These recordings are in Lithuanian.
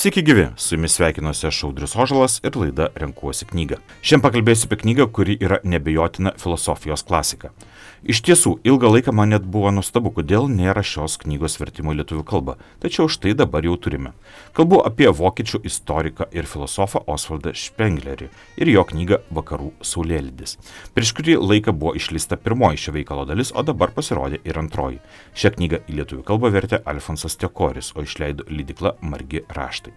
Sveiki gyvi, su jumis sveikinuosi aš Audrius Ožalas ir laida Renkuosi knygą. Šiandien pakalbėsiu apie knygą, kuri yra neabejotina filosofijos klasika. Iš tiesų, ilgą laiką man net buvo nuostabu, kodėl nėra šios knygos vertimo į lietuvių kalbą, tačiau štai dabar jau turime. Kalbu apie vokiečių istoriką ir filosofą Osvaldą Špenglerį ir jo knygą Vakarų saulėlydis. Prieš kurį laiką buvo išleista pirmoji šio veikalo dalis, o dabar pasirodė ir antroji. Šią knygą į lietuvių kalbą vertė Alfonsas Tekoris, o išleido leidykla Margi raštai.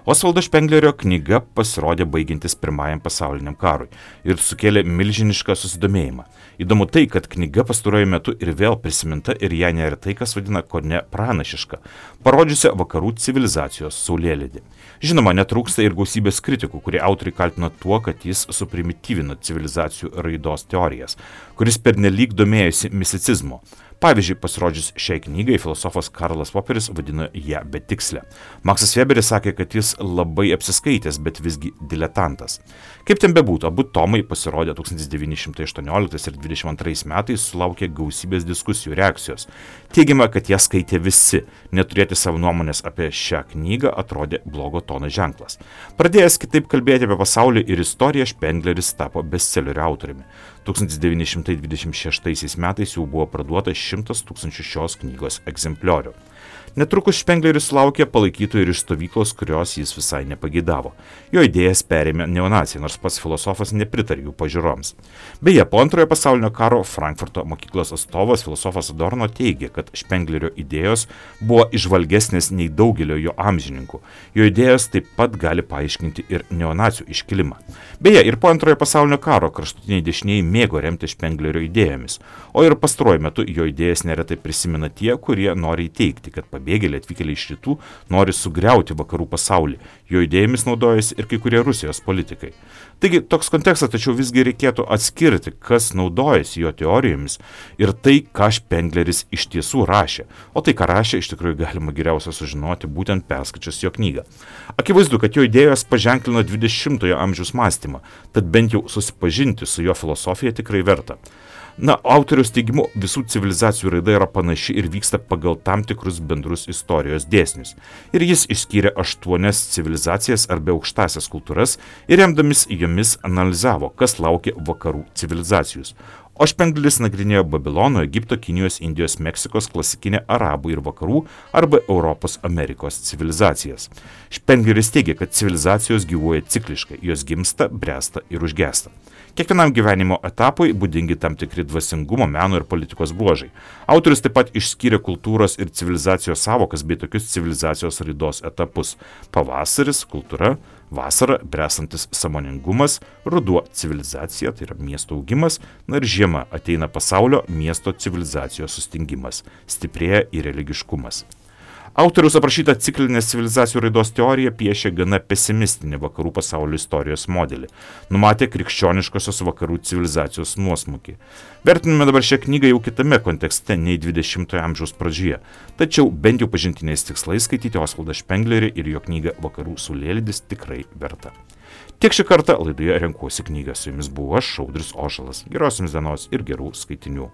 Osvaldo Špenglerio knyga pasirodė baigiantis Pirmajam pasauliniam karui ir sukėlė milžinišką susidomėjimą. Įdomu tai, kad knyga pastaruoju metu ir vėl prisiminta ir ją neretai kas vadina kone pranašiška, parodžiusią vakarų civilizacijos saulėlydį. Žinoma, netrūksta ir gausybės kritikų, kurie autoriai kaltina tuo, kad jis suprimityvino civilizacijų raidos teorijas, kuris pernelyg domėjosi misticizmu. Pavyzdžiui, pasirodžius šiai knygai, filosofas Karlas Poperis vadino ją betikslę. Maksas Weberis sakė, kad jis labai apsiskaitęs, bet visgi diletantas. Kaip ten bebūtų, abu tomai pasirodė 1918 ir 1922 metais, sulaukė gausybės diskusijų reakcijos. Teigiama, kad ją skaitė visi. Neturėti savo nuomonės apie šią knygą atrodė blogo tono ženklas. Pradėjęs kitaip kalbėti apie pasaulį ir istoriją, Špengleris tapo bestselerių autoriumi. 1926 metais jau buvo parduota 100 000 šios knygos egzempliorių. Netrukus Špengleris sulaukė palaikytojų ir iš stovyklos, kurios jis visai nepageidavo. Jo idėjas perėmė neonaciai, nors pats filosofas nepritarė jų pažiūroms. Beje, po antrojo pasaulinio karo Frankfurto mokyklos atstovas filosofas Adorno teigė, kad Špenglerio idėjos buvo įžvalgesnės nei daugelio jo amžininkų. Jo idėjos taip pat gali paaiškinti ir neonacių iškilimą. Beje, ir po antrojo pasaulinio karo kraštutiniai dešinieji mėgo remti Špenglerio idėjomis, o ir pastaruoju metu jo idėjas neretai prisimena tie, kurie nori įteigti, kad pabėgėliai atvykėliai iš rytų nori sugriauti vakarų pasaulį. Jo idėjomis naudojasi ir kai kurie Rusijos politikai. Taigi toks kontekstas, tačiau visgi reikėtų atskirti, kas naudojasi jo teorijomis ir tai, ką Špengleris iš tiesų rašė. O tai, ką rašė, iš tikrųjų galima geriausia sužinoti būtent perskaičius jo knygą. Akivaizdu, kad jo idėjos paženklino 20-ojo amžiaus mąstymą, tad bent jau susipažinti su jo filosofija tikrai verta. Autoriaus teigimu, visų civilizacijų raida yra panaši ir vyksta pagal tam tikrus bendrus istorijos dėsnius. Ir jis išskyrė 8 civilizacijas arba aukštasias kultūras ir remdamis jomis analizavo, kas laukia vakarų civilizacijos. O Špengleris nagrinėjo Babilono, Egipto, Kinijos, Indijos, Meksikos, klasikinę Arabų ir Vakarų arba Europos Amerikos civilizacijas. Špengleris teigia, kad civilizacijos gyvuoja cikliškai, jos gimsta, bręsta ir užgęsta. Kiekvienam gyvenimo etapui būdingi tam tikri dvasingumo, meno ir politikos bruožai. Autorius taip pat išskyrė kultūros ir civilizacijos savokas bei tokius civilizacijos raidos etapus: pavasaris, kultūra, vasara, bręstantis sąmoningumas, ruduo civilizacija, tai yra miesto augimas, ir žiema ateina pasaulio miesto civilizacijos sustingimas, stiprėja ir religiškumas. Autoriaus aprašyta ciklinės civilizacijų raidos teorija piešia gana pesimistinį vakarų pasaulio istorijos modelį. Numatė krikščioniškosios vakarų civilizacijos nuosmukį. Vertiname dabar šią knygą jau kitame kontekste nei 20-ojo amžiaus pradžioje. Tačiau bent jau pažintiniais tikslais skaityti Osvaldą Špenglerį ir jo knygą Vakarų saulėlydis tikrai verta. Tiek šį kartą laidoje Renkuosi knygą. Su jumis buvau aš, Audrius Ožalas. Geros jums dienos ir gerų skaitinių.